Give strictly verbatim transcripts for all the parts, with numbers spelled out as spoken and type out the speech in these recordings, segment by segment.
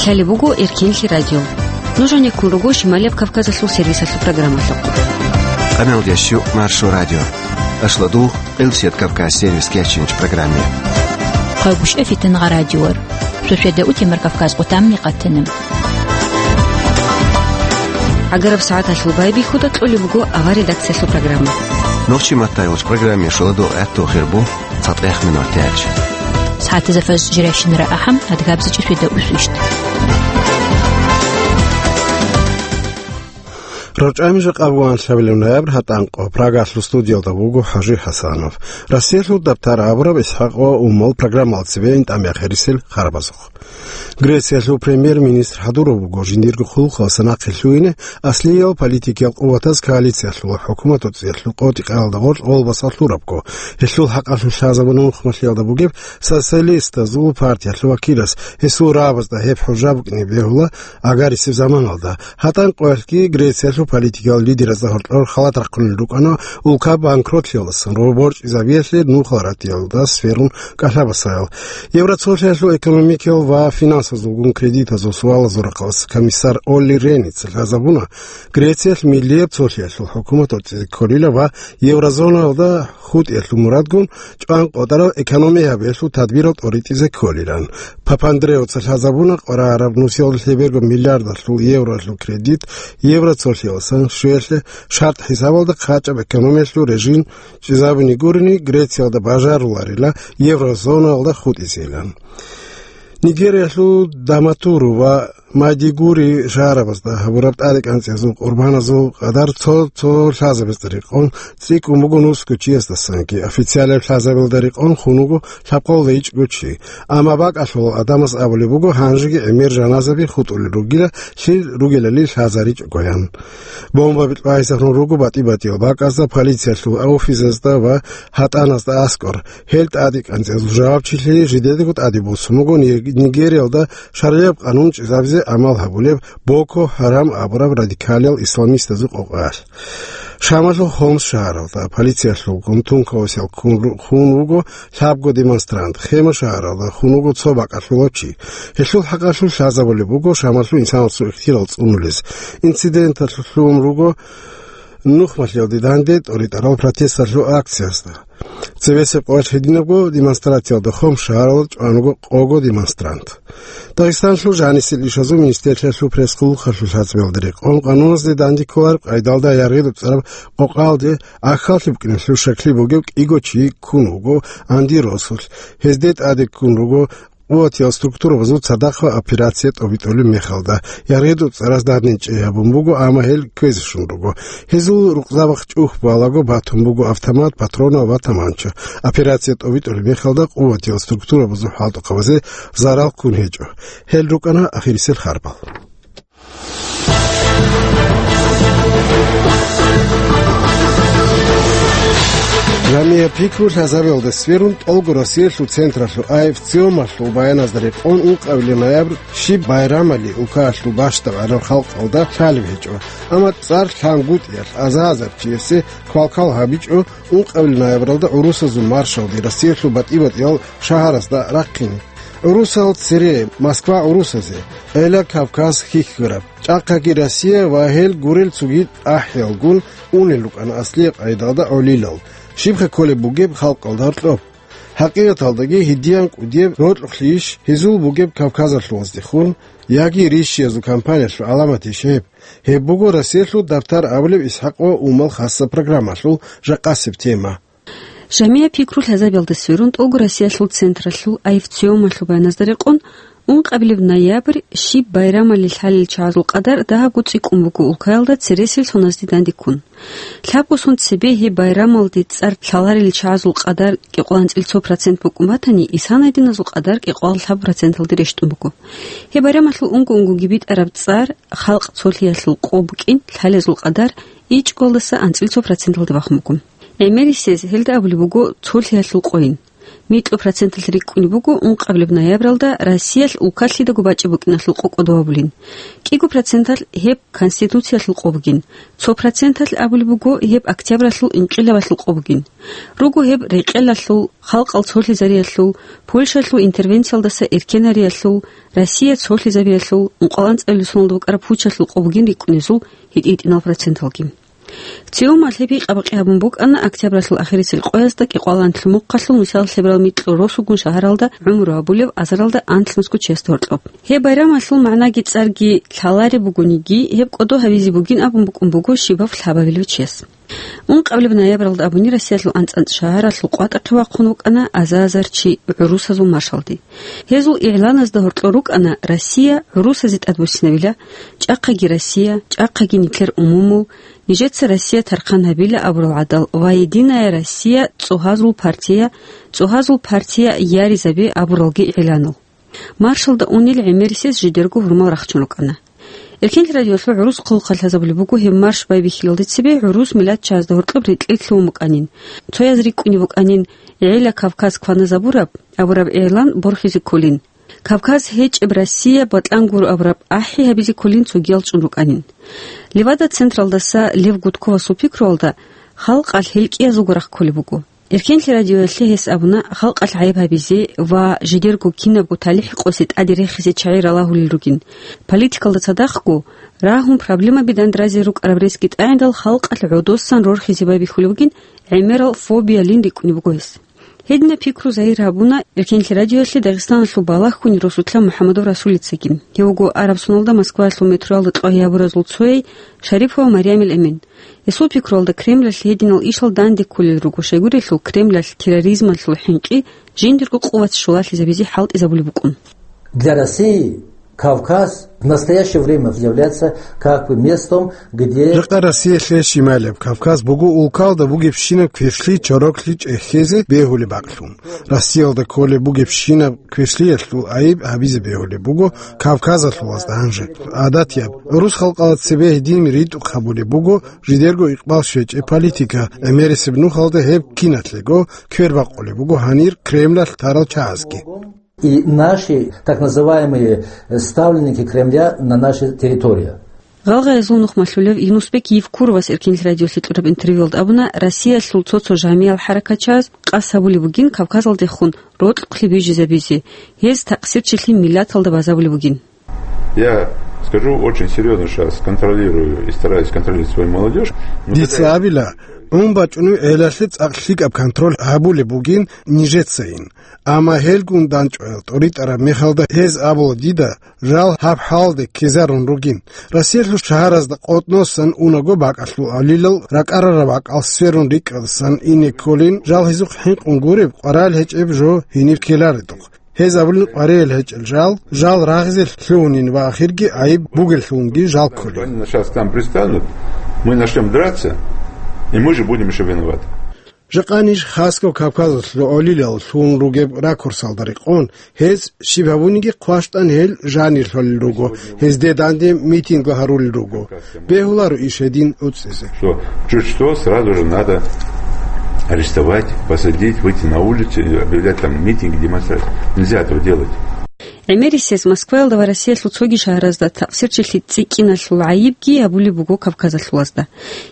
Лъалеб буго Эркенлъи радио. Нуж гьанеккун руго Шималияб Кавказалъул сервисалъул программалъухъ. Къамелдящу Маршо радио. Ашладу, Къилсият Кавказ сервис кечинч программе. Къагуш эфитан гъа радиор. Суседа утемар Кавказ къутамни къатана. Агараб сагӀаталъул байбихьуда кьолеб буго авар редакциялъул программа. Нохчи маттайулч программе шуладу гӀатту хирбу. ЦатӀех минут тяч. СагӀатазда фаз жиращинара ахӀам, адгабзичӀи светда усвищт. РорчӀами жакъа буган лъабилеб ноябрь гьатӀанкъо. Прагалъул студиялда вуго ХӀажи ХӀасанов. Россиялъул дабтар абураб ИсхӀакъ ва Умал программалда цебе интӀамехирисел харабазухъ. Грециялъул премьер-министр хӀадурав вуго жиндирго хъулухъалъа нахъе лъугьине аслиял политикиял къуватаз коалициялъул ва хӀукуматалъул къотӀи-къаялда гъоркь гъолбасалъурабго. Гьелъул хӀакъалъулъ лъазабуна нухмалъиялда бугеб социалистазул партиялъул вакилас, гьесул рагӀабазда гьеб хӀужа букӀине бегьула агарисеб заманалда. ГьатӀанкъоялъги Грециялъул политикиял лидеразда гьоркьор халат рахъунел рукӀана улка банкротлъиялдасан ва борчӀизабиялъе нухал ратиялда сверун кӀалъабасаял. Евроцолъиялъул экономикиял ва финансазулгун кредитазул суалазул рахъалъ комиссар Олли Реница лъазабуна, Грециялъ миллияб цолъиялъул хӀукумат тӀоцӀизе кколила ва еврозонаялда хутӀиялъул мурадгун чӀван къотӀарал экономия гьабиялъул тадбирал тӀоритӀизе кколилан. Папандреоца лъазабуна къварараб нусиялда лъеберго миллиардалъул евролъул кредит евроцолъиялдасан щвеялъе шартӀ хӀисабалда хъачӀаб экономиялъул режим чӀезабуни гурони, Грециялда бажаруларила еврозоналда хутӀизейилан. Нигериялъул Даматуру ва Майдигури шагьарабазда гьабураб тӀаде кӀанцӀиязул къурбаназул къадар цо-цо лъазабазда рекъон цӀикӀкӀун буго нусго чиясдасанги, официалаб лъазабилда рекъон хун вуго лъабкъолда ичӀго чи. Амма бакӀалъулал гӀадамаз абулеб буго, гьанжеги гӀемер жаназаби хутӀулел ругила, лъил ругелали лъазаричӀогоян. Бомбаби тӀвайсахун руго батӀи-батӀиял бакӀазда, полициялъул офисазда ва гьатӀаназда аскӀор. Гьел тӀаде кӀанцӀиязул жавабчилъи жидедаго тӀаде босун буго Нигериялда шаргӀияб къанун чӀезабизе гӀамал гьабулеб Боко Харам абураб радикалиял исламистазул къокъаялъ. Шамалъул Хомс шагьаралда полициялъулгун тункаусел ккун ру-, хун вуго лъабго демонстрант, Хема шагьаралда хун вуго цо бакӀалъулав чи. Гьелъул хӀакъалъулъ лъазабулеб буго Шамалъул инсанасул ихтияр цӀунулес. Инциденталъулъ лъугьун руго нухмалъиялде данде тӀоритӀарал протесталъул акциязда. Цебесеб къоялъ гьединабго демонстрациялда Хомс шагьаралда чӀван вуго къого демонстрант. Дагъистанлъул жанисел ишазул министрлъиялъул пресс-хъулухъалъул лъазабиялда рекъон, къануназде данде кколареб къайдалда яргъи доцӀараб къокъалде ахьаллъи букӀиналъул щаклъи бугев кӀиго чи ккун вуго Анди росулъ. Гьезде тӀаде ккун руго къуватиял структурабазул цадахъ ва операция тӀобитӀулеб мехалда. Яргъи доцӀараз даднинчӀей гьабун буго, амма гьел кквезе щун руго. Гьезул рукъзабахъ чӀухӀ балаго батун буго автомат, патронал ва таманча. Операция тӀобитӀулеб мехалда къуватиял структурабазул хӀалтӀухъабазе зарал ккун гьечӀо. Гьел рукӀана ахирисел харбал. Жамиа пикру лъазабиялда сверун, тӀолго Россиялъул централъул АФЦИОМалъул баяназда рекъон, ункъабилеб ноябрь щиб байрамали улкаялъул бащдаб гӀадаб халкъалда лъалеб гьечӀо. Амма цӀар лъангутӀиялъ аза-азар чиясе квалквал гьабичӀо, ункъабилеб ноябралда гӀурусазул маршалде Россиялъул батӀи-батӀиял шагьарасда рахъине. ГӀурусал цере Москва гӀурусазе, гӀела Кавказ хьихьараб, чӀахъаги Россия ва гьел гурел цоги тӀахӀиялгун унел рукӀана аслияб къайдалда гӀолилал, щибха кколеб бугеб халкъалда гьоркьоб. ХӀакъикъаталдаги гьединан кӀудияб рокьулъищ гьезул бугеб Кавказалъулаздехун, яги рищиязул кампаниялъул гӀаламатищ гьеб? Гьеб буго Россиялъул дабтар абулеб ИсхӀакъ ва Умал хасаб программалъул жакъасеб тема. Жамиа пикру лъазабиялда сверун, тӀолго Россиялъул централъул АФЦИОМалъул баяназда рекъон, ункъабилеб ноябрь щиб байрамали лъалел чагӀазул къадар дагьабго цӀикӀкӀун буго улкаялда цересел соназде данде ккун. Лъабго сон цебе гьеб байрамалде цӀар лъаларел чагӀазул къадар кӀикъоялда анцӀила цо процент букӀун батани, исанайдиназул къадар кӀикъоялда лъабго проценталде рещтӀун буго. Гьеб байрамалъул унго-унгоги битӀараб цӀар, халкъ цолъиялъул къо букӀин, лъалезул къадар ичӀгоялдаса анцӀила цо проценталде бахун буго. ГӀемерисез гьелда абулеб буго цолъиялъул къойин. Микьу проценталъ рикӀкӀунеб буго ункъабилеб ноябралда Россиялъ улкалъидаго бачӀи букӀиналъул къо кӀодо гьабулин. КӀиго проценталъ гьеб Конституциялъул къо бугин. Цо проценталъ абулеб буго гьеб октябралъул инкъилабалъул къо бугин. Руго гьеб рекъелалъул, халкъал цолъизариялъул, Польшалъул интервенциялдаса эркенариялъул, Россия цолъизабиялъул, ункъоялда анцӀабилеб соналда букӀараб пучалъул къо бугин рикӀкӀунезул гьитӀи-гьитӀинал проценталги. Цеумал гьеб гьикъа-бакъи гьабун букӀана октябралъул ахирисел къоязда кӀикъоялда анлъго мухъалъул нусиялда лъеберал микьу росугун шагьаралда гӀумру гьабулев азаралда анлънусго чиясда гьоркьоб. Гьеб байрамалъул магӀнаги цӀарги лъалареб бугониги, гьеб кӀодо гьабизе бугин абун букӀун буго щибаб лъабабилев чияс. Ункъабилеб ноябралда абуни Россиялъул анцӀ-анцӀ шагьаралъул къватӀахъе вахъун вукӀана аза-азар чи гӀурусазул маршалде. Гьезул игӀланазда гьоркьор рукӀана Россия гӀурусазе тӀадбуссинабила, чӀахъаги Россия, чӀахъаги нилъер умумул, нижеца Россия тархъан гьабила абурал гӀадал ва Единая Россия цӀогьазул партия, цӀогьазул партия яризабе абуралги игӀланал. Маршалда унел гӀемерисез жидерго гьурмал рахчун рукӀана. Эркенлъи радиолъул гӀурус хъулухъалъ лъазабулеб буго гьеб марш байбихьилалде цебе гӀурус миллатчагӀазда гьоркьоб рекьел лъугьун букӀанин. Цояз рикӀкӀунеб букӀанин, гӀела Кавказ кваназабураб абураб игӀлан борхизе кколин. Кавказ гьечӀеб Россия батӀан гуро абураб ахӀи гьабизе кколин цогиял чӀун рукӀанин. Левада-централдаса Лев Гудковасул пикруялда халкъалъ гьел кӀиязулго рахъ кколеб буго. Эркенлъи радиоялъе гьес абуна, халкъалъ гӀайиб гьабизе ва жидерго кинабго талихӀ къосе тӀаде рехизе чагӀи ралагьулел ругин. Политикалда цадахъго, рагьун проблемаби дандразе рукӀараб ресги тӀагӀиндал халкъалъ гӀодосан рорхизе байбихьулеб бугин, гӀемерал фобиялин рикӀкӀунеб буго гьес. Гьединаб пикру загьир гьабуна Эркенлъи радиоялъе Дагъистаналъул балагьхьунел росулъа МухӀамадов Расулицаги. Гьев вуго араб соналда Москваялъул метроялда кьвагьиябуразул цояй Шарипова Марямил Эмен. Гьесул пикруялда Кремлалъ гьединал ишал данде кколел руго, щайгурелъул Кремлалъ терроризмалъул хӀинкъи жиндирго къуват щулалъизабизе хӀалтӀизабулеб букӀун. Для России Кавказ в настоящее время является как бы местом, где Жакъа Россиялъе щималеб Кавказ буго улкалда бугебщинаб квешлъи чороклъи чӀехьезе бегьулеб бакълъун. Россиялда кколеб бугебщинаб квешлъиялъул гӀайиб гьабизе бегьулеб буго Кавказалъулазда гьанже. ГӀадатияб, гӀурус халкъала цебе гьедин ритӀухъ гьабулеб буго жидерго икъбал щвечӀеб политика, гӀемерисеб нухалда гьеб киналъего квербакъулеб буго гьанир Кремлалъ тарал чагӀазги. И наши так называемые ставленники Кремля на нашей территории. Гъалгъаязул нухмалъулев Юнусбек Евкуровас Эркенлъи радиолъе кьураб интервьюялда абуна, Россиялъул цо-цо жамиял хӀаракатчагӀаз къасд гьабулеб бугин Кавказалдехун рокьухълъи бижизабизе, гьез такъсирчилъи миллаталда базабулеб бугин. Я скажу очень серьёзно, сейчас контролирую и стараюсь контролировать свою молодёжь. Но Дица когда абила, ун бачӀунев гӀелалъе цӀакъ лъикӀаб контроль гьабулеб бугин нижецайин. Амма гьелгун дандчӀваял тӀоритӀараб мехалда гьез абула дида, жал гьаб хӀалде ккезарун ругин. Россиялъул шагьаразда къотӀносан унаго бакӀалъул гӀолилал ракӀарараб бакӀал сверун рикӀкӀадасан ине кколин, жал гьезухъ хӀинкъун гуреб, къварал гьечӀеб жо гьениб ккеларедухъ. Гьез абулин къваригӀел гьечӀел жал, жал рагъизе лъугьунин ва ахирги гӀайиб бугеллъунги жал кколин. Они сейчас к нам пристанут, мы начнём драться, и мы же будем ещё виноваты. Жакъа ниж хасго Кавказалъул гӀолилал лъугьун ругеб ракурсалда рекъон, гьез щиб гьабуниги хъващтӀан гьел жанир лъолел руго, гьезде данде митингла гьарулел руго. Бегьуларо иш гьедин уцӀизе. Что чуть что, сразу же надо арестовать, посадить, выйти на улицу и объявлять там митинги, демонстрации. Нельзя этого делать. ГӀемерисез Москваялда ва Россиялъул цоги шагьаразда такъсирчилъи цӀикӀкӀиналъул гӀайибги гьабулеб буго Кавказалъулазда.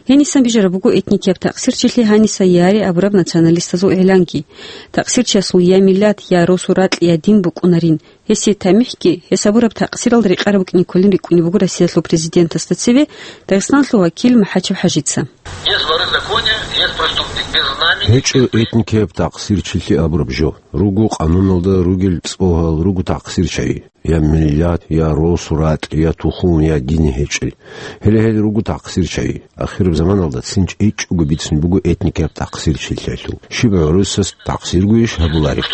Гьенисан бижараб буго этникияб такъсирчилъи гьаниса яри абураб националистазул игӀланги. Такъсирчиясул я миллат, я росу-ракь, я дин букӀунарин. Гьесие тамихӀги, гьес гьабураб такъсиралда рекъараб букӀине кколин рикӀкӀунеб буго Россиялъул президентасда цеве Дагъистаналъул вакил МахӀачев ХӀажица. Есть воры в законе, есть преступник. Между нами ГьечӀо этникияб такъсирчилъи абураб жо. Руго къануналда ругел цӀогьал, руго такъсирчагӀи. Я миллат, я росу-ракь, я тухум, я дин гьечӀел. Гьеле гьел руго такъсирчагӀи. Ахираб заманалда цин чӀечӀого бицунеб буго этникияб такъсирчилъиялъул. Щиб гӀурусас такъсиргойищ гьабулареб?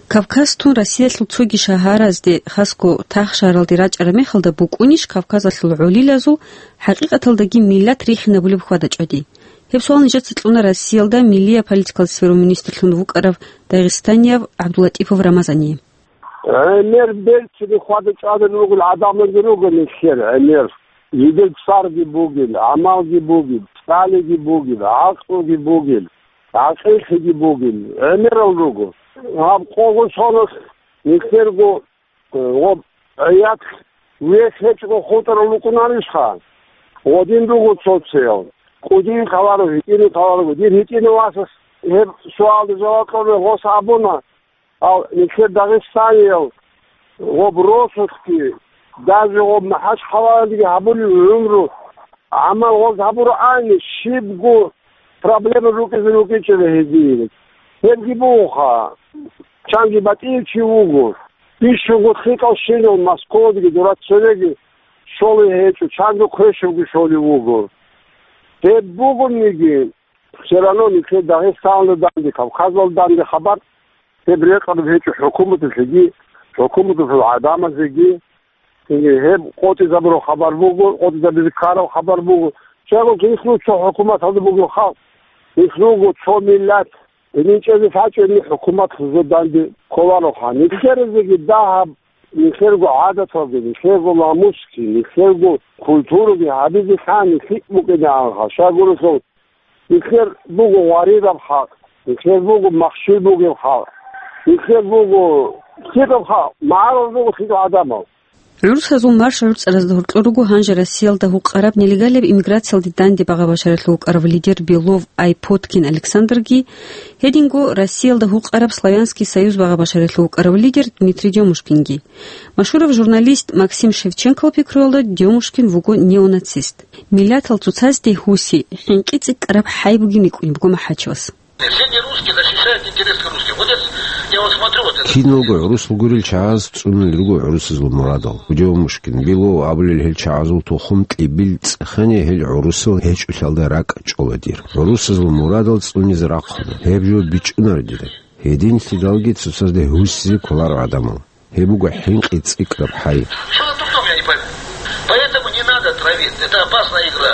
Кавказ тун Россиялъул цоги шагьаразде, хасго тахшаралде рачӀараб мехалда букӀунищ Кавказалъул гӀолилазул хӀакъикъаталдаги миллат рихинабулеб хьвада-чӀвади? Гьеб суал нижеца кьуна Россиялда миллияб политикалда сверун министрлъун вукӀарав дагъистанияб ГӀабдуллатӀипов Рамазание. ГӀемер берцинги хьвада-чӀвадани ругел гӀадамалги руго нилъер гӀемер. Жидер цӀарги бугел, гӀамалги бугел, цӀалиги бугел, гӀакълуги бугел. гӀакъиллъиги бугел, гӀемерал руго. Гьаб къого соналъ нилъерго, э, гъоб гӀият вес гьечӀого хутӀарал рукӀунарищха? Гъодин руго цо-цоял. КӀудине кколаро, гьитӀине кколаро. Дир гьитӀинав васас гьеб суалда жаваб кьолеб гъос абуна, Ал нилъер Дагъистаниял гъоб росулъги, даже гъоб МахӀачхъалаялдеги гьабулеб гӀумру, гӀамал гъоз гьабурабани, щибго проблема рукӀизе рукӀинчӀеб гьезие. Гьебги бугоха, чанги батӀияв чи вуго, бищунго лъикӀал щинал Москвадаги дура цевеги щолей гьечӀо, чанго квешавги щолев вуго. Гьеб бугониги, все равно нилъер Дагъистаналда данде, Кавказалда данде хабар гьеб рекъараб гьечӀо хӀукуматалъеги, хӀукуматалъул гӀадамазеги. Гьеб къотӀизабураб хабар буго, къотӀизабизе ккараб хабар буго. Щайгурелъул гьелъул цо хӀукуматалда бугеб халкъ, гьелъул руго цо миллат, гьедин чӀезе лъачӀебни хӀукуматлъун данде кколароха. Нилъерезеги дагьаб, нилъерго гӀадаталги, нилъерго намусги, нилъерго культураги гьабизе лъани лъикӀ букӀинаанха. Щайгурелъул Нилъер буго гъваридаб халкъ, нилъер буго махщел бугеб халкъ, нилъер буго лъикӀаб халкъ, магӀарулел руго лъикӀал гӀадамал. ГӀурусазул марш гӀуцӀаразда гьоркьор руго гьанже Россиялда гьукъараб нелегалияб иммиграциялде данде багъа-башаралъув вукӀарав лидер Белов Айпоткин Александрги, гьединго Россиялда гьукъараб Славянский союз багъа-башаралъув вукӀарав лидер Дмитрий Дёмушкинги. Машгьурав журналист Максим Шевченкол пикруялда, Дёмушкин вуго неонацист. Миллатал цоцазде гьуси, хӀинкъи цӀикӀкӀараб хӀай бугин рикӀкӀунеб буго МахӀачевас. Все не русские защищают интересы русских. Вот я, я вот смотрю вот это. Киналго гӀурусал гурел чагӀаз цӀунулел руго гӀурусазул мурадал. Дёмушкин, Белов абулел гьел чагӀазул тухум кьибил цӀехене гьел гӀурусал гьечӀолъиялда ракӀ чӀола дир. ГӀурусазул мурадал цӀунизе рахъуна. Гьеб жо бичӀчӀунаро дида. Гьединлъидалги цоцазде гьусизе кколаро гӀадамал. Гьеб буго хӀинкъи цӀикӀкӀараб хӀай. Что за дурдом, я не пойму. Поэтому не надо травить. Это опасная игра.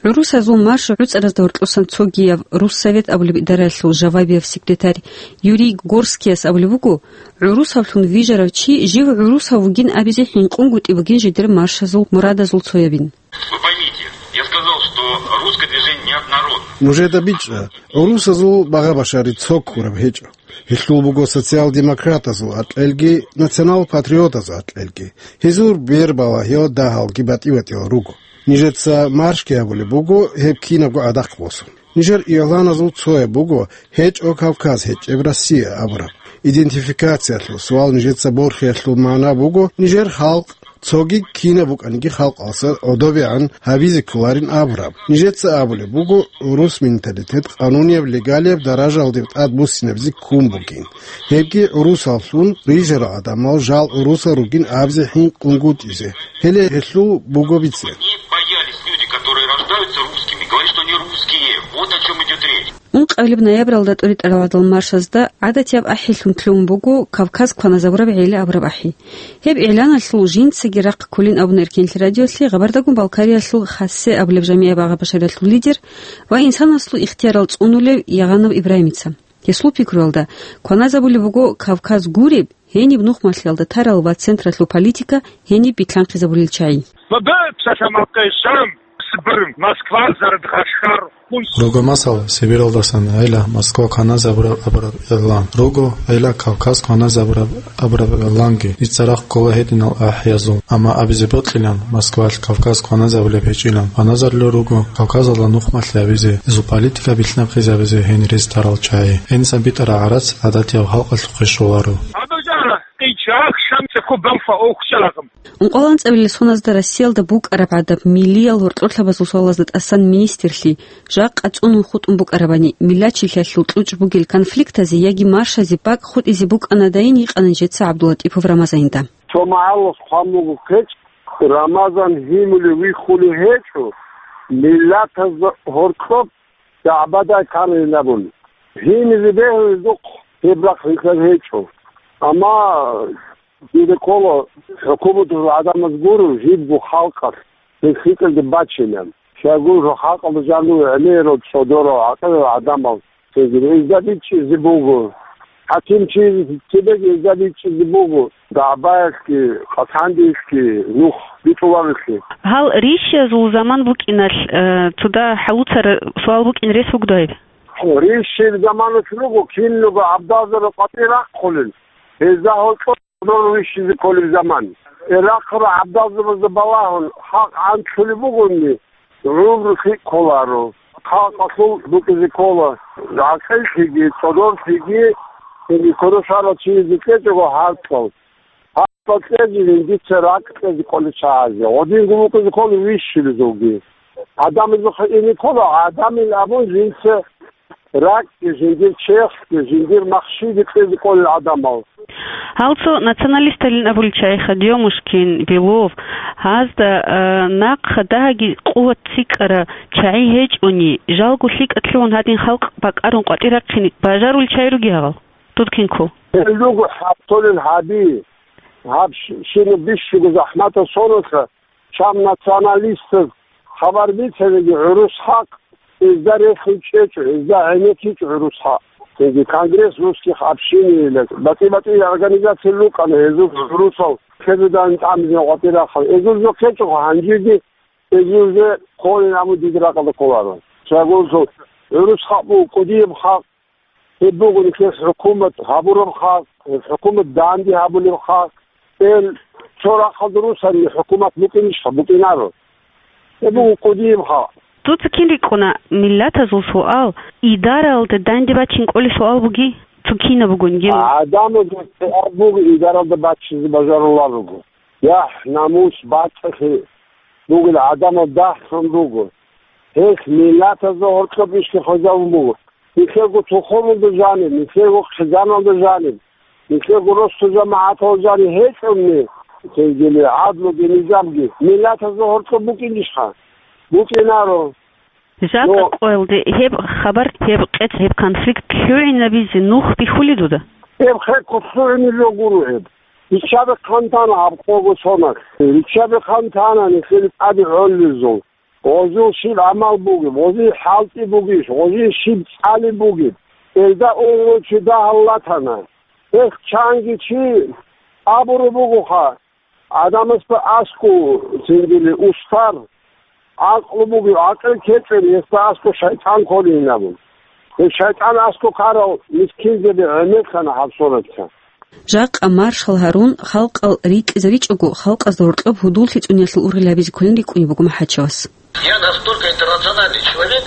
ГӀурусазул марш гӀуцӀаразда гьоркьосан цогияб Руссовет абулеб идараялъул жавабияб секретарь Юрий Горскияс абулеб буго, гӀурусавлъун вижарав чи жив гӀурусав вугин абизе хӀинкъунгутӀи бугин жидер маршазул мурадазул цоябин. Вы поймите, я сказал, что русское движение неоднородно. Нужеда бичӀчӀа, гӀурусазул багъа-башари цо ккураб гьечӀо. Гьелъул буго социал-демократазул акьелги, национал-патриотазул акьелги. Гьезул бербала гьел дагьалги батӀи-батӀиял руго. Нижеца маршги гьабулеб буго гьеб кинабго адахъ босун. Нижер игъланазул цояб буго гьечӀо Кавказ, гьечӀеб Россия абураб. Идентификациялъул суал нижеца борхиялъул магӀна буго нижер халкъ, цоги кинаб букӀаниги халкъалъа гӀодобегӀан гьабизе кколарин абураб. Нижеца абулеб буго, гӀурус менталитет къанунияб, легалияб даражалде тӀадбуссинабизе ккун бугин. Гьебги гӀурусаллъун рижарал гӀадамал жал гӀурусал ругин абизе хӀинкъунгутӀизе. Гьеле гьелъул буго бицен. Они боялись, люди, которые рождаются русскими, говорят, что они русские. Вот о чем идет речь. Ункъабилеб ноябралда тӀуритӀарал гӀадал маршазда гӀадатияб ахӀилъун лъугьун буго Кавказ кваназабураб гӀели абураб ахӀи. Гьеб игӀланалъул жинцаги рахъ кколин абуна Эркенлъи радиолъе Гъабардагун Балкариялъул Хасе абулеб жамигӀа багъа-башариялъул лидер ва инсанасул ихтиярал цӀунулев Ягъанов Ибрагьимица. Гьесул пикруялда, кваназабулеб буго Кавказ гуреб, гьениб нухмалъиялда тарал ва централъул политика гьениб битлъанхъизабулел чагӀи. Ва бегӀ псалъамал къейсам, Сибир, Москва, Заридхашгар, Хунс. Руго масала, Сибиралдасан гӀела Москва кваназабураб абураб игълан. Руго гӀела Кавказ кваназабураб абураб игъланги. Дица рахъ ккола гьединал ахӀиязул. Амма абизе бокьилан, Москвалъ Кавказ кваназабулеб гьечӀилан. Кваназарулел руго Кавказалда нухмалъи гьабизе, гьезул политика битлъанхъизабизе гьенире тарал чагӀи. Гьенисан битӀараб гӀарац гӀадатияб халкъалъухъе щоларо. Абазара, къича, ахшам, цӀехо, балфа, охча, лагъам. Ункъоялда анцӀабилел соназда Россиялда букӀараб гӀадаб миллиял гьоркьорлъабазул суалазда тӀасан министрлъи, жакъа цӀунун хутӀун букӀарабани, миллачилъиялъул кьучӀ бугел конфликтазе яги маршазе бакӀ хутӀизе букӀанадайин, йикъана нижеца ГӀабдуллатӀипов Рамазанилда. Цо магӀалас хъван буго ккечӀ, Рамазан гьимулев виххулев гьечӀо, миллатазда гьоркьоб дагӀбадай камилабун. Гьимизе бегьуледухъ гьеб рахъ рилълъан гьечӀо. Амма дида ккола, хӀукуматалъул гӀадамаз гуро жибго халкъалъ гьеб хикӀалде бачилан. Щайгурелъул халкъалда жаниве гӀемерал, цӀодорал, гӀакъилал гӀадамал цинги гьезда бичӀчӀизе буго. ХӀакимчиязе цебеги гьезда бичӀчӀизе буго. ДагӀбаялъги, къацандеялъги, нух битӀуларелъги. Гьал рищиязул заман букӀиналъ, э, цо дагь хӀалуцараб суал букӀин рес бугодай? Рищил заманалъ руго, кинлуго гӀабдалзаби къватӀир рахъулел, гьезда гьоркьоб рищизе кколеб заман. Рахъарал гӀабдалзабазда балагьун, хӀакъ гӀантлъулеб бугони, гӀумру лъикӀ кколаро. Халкъалъул букӀизе ккола, гӀакъиллъиги, цӀодорлъиги, цинги кодошарал чиязе кьечӀого хӀакъал. Гьаб кьезе жиндица ракӀ кьезе кӀолел чагӀазе, гьединго букӀизе ккола вищулезулги. Гьадамазухъе ине ккола, гьадамил абун жинца ракӀги, жиндир черхги, жиндир махщиги кьезе кӀолел гӀадамал. Гьал цо националисталин абулел чагӀиха, Демушкин, Белов, гьазда, а, нахъа дагьаги къуват цӀикӀкӀараб чагӀи гьечӀони, жалго лъикӀалъ лъугьун гьадин халкъ бакӀарун къватӀир рахъине бажарулел чагӀи ругел гьал? Дудкинкул. Гьел руго хӀатолел гьаби. Гьаб щ-, щинаб бищунго захӀматал соналъа чам националистаз хабар бицаниги гӀурус хӀакъ, гьезда рехун чӀечӀо, гьезда гӀенеккичӀо гӀурус хӀакъ. Цинги Конгресс русских общиниялъ, батӀи-батӀи организациял рукӀана гьезул гӀурусал ккезедан тӀамизин къватӀир рахъал. Гьезул жо ккечӀого гьанжеги, гьезул же кколин абун дида ракӀалда кколаро. Чагурсул гӀурус хӀакъ буго кӀудияб хӀакъ. Гьеб буго нилъер хӀукумат гьабураб халкъ, гьеб хӀукумат данде гьабулеб халкъ. Гьел цо рахъалда русани хӀукумат букӀинищха? БукӀинаро. Гьеб буго кӀудияб халкъ. Дуца кин рикӀкӀуна миллатазул суал, идаралда данде бачин кӀолеб суал буги? Цо кинаб бугониги? ГӀадамазул суал буго, идаралда бачизе бажарулел руго. ЯхӀ, намус, бацӀцӀалъи бугел гӀадамал дагьлъун руго. Гьелъ миллатазда гьоркьоб ишги хвезабун буго. Нилъерго тухумалда жаниб, нилъерго хъизаналда жаниб, нилъерго росу-жамагӀаталда жаниб гьечӀони, цинги гӀадлуги низамги миллатазда гьоркьоб букӀинищха? БукӀинаро. Жакъа Но къоялде гьеб хабар, гьеб къец, гьеб конфликт лъугӀинабизе нух бихьулей дуда? Гьеб хӀекъо лъугӀине жо гуро гьеб. Риччаби хъантана гьаб къого соналъ. Риччаби хъантана нилъер тӀаде гӀоллизул. Гъозул щиб гӀамал бугеб, гъозие хӀалтӀи бугищ, гъозие щиб цӀали бугеб. Элда унго чи дагьал латана. Гьелъ чанги чи абураб бугоха, гӀадамасда аскӀов, цинги устар, гӀакълу бугеб, гӀакъил ккечӀеб, гьесда аскӀов шайтӀан кколин абун. Гьеб шайтӀан аскӀов ккарал мискинзаби гӀемерлъана гьаб соналъа. Жакъа маршал гьарун, халкъал рикӀкӀизе ричӀого, халкъазда гьоркьоб гьудуллъи цӀуниялъул ургъел гьабизе кколин рикӀкӀунеб буго МахӀачевас. Я настолько интернациональный человек,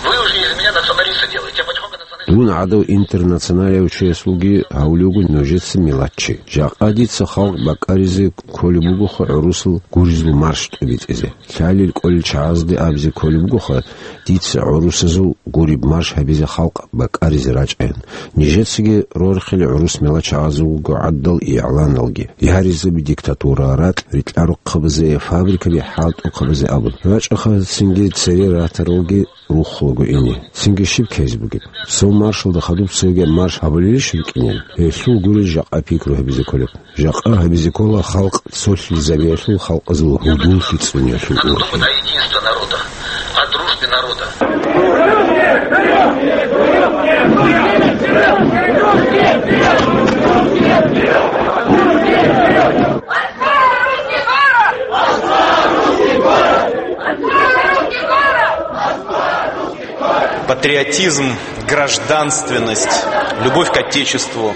вы уже из меня националиста делаете. Я потихоньку националист. Дун гӀадав интернационалияв чиясулги гьавулев вуго нужеца миллатчи. Жакъа дица халкъ бакӀаризе кколеб бугоха гӀурусал гуризул марш тӀибитӀизе. Лъалел кӀолел чагӀазде абизе кколеб бугоха дица гӀурусазул гуреб марш гьабизе халкъ бакӀаризе рачӀаян. Нижецаги рорхилел гӀурус миллат чагӀазул вуго гӀадал игӀланалги, яризаби диктатура, ракь рикьарухъабазе, фабрикаби хӀалтӀухъабазе абун. РачӀаха цинги цере ратаралги рухулаго ине. Цинги щиб ккезе бугеб? Цо маршалда хадуб цоги марш гьабулелищ рукӀинел? Гьелъул гурел жакъа пикру гьабизе кколеб. Жакъа гьабизе ккола халкъ цолъизабиялъул, халкъазул гьудуллъи цӀуниялъул ургъел. Единство народа, о дружбе народа. Патриотизм, гражданственность, любовь к Отечеству.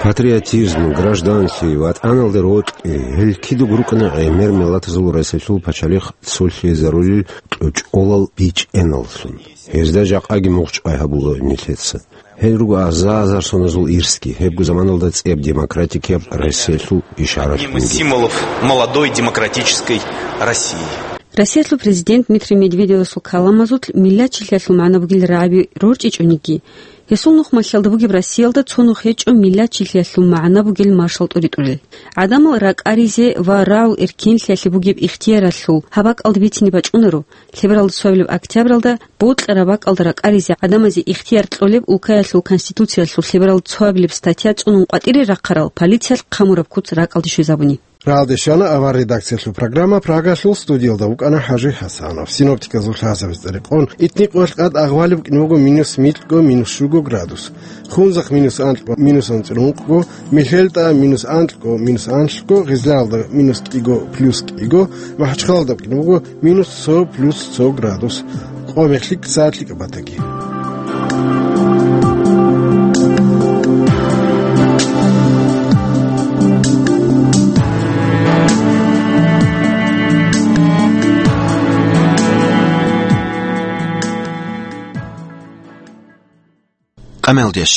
Патриотизм, гражданлъи, ВатӀаналде рокьи, гьел кидаго рукӀана гӀемер миллатазул Россиялъул пачалихъ цолъизарулел кьучӀолал бичӀчӀиналлъун. Гьезда жакъаги мугъчӀвай гьабула нилъеца. Гьел руго аза-азар соназул ирсги, гьебго заманалда цӀияб демократикияб Россиялъул ишаралъунги. Символов молодой демократической России. Россиялъул президент Дмитрий Медведевасул каламазулъ миллатчилъиялъул магӀна бугел рагӀаби рорчӀичӀониги, гьесул нухмалъиялда бугеб Россиялда цо нух гьечӀо миллатчилъиялъул магӀна бугел маршал тӀуритӀулел. ГӀадамал ракӀаризе ва рагӀул эркенлъиялъе бугеб ихтияралъул гьаб бакӀалда бицине бачӀунаро, лъебералда цоабилеб октябралда бокьараб бакӀалда ракӀаризе гӀадамазе ихтияр кьолеб улкаялъул Конституциялъул лъебералда цоабилеб статья цӀунун къватӀире рахъарал полициялъ хъамураб куц ракӀалде щвезабуни. Рагьалде щвана авар редакциялъул программа. Прагалъул студиялда вукӀана ХӀажи ХӀасанов. Синоптиказул лъазабиз цӀерекъон, итникъоялъ къад агъвалеб букӀине буго минус микьго, минус щуго градус. Хунзахъ минус анкьго, минус анцӀила ункъго, МихьелтӀа минус анкьго, минус анлъго, Гъизлаялда минус кӀиго, плюс кӀиго, МахӀачхъалалда букӀине буго минус цо, плюс цо градус. Къо мехлъи, сагӀат лъикӀаб батаги. къамелдеш.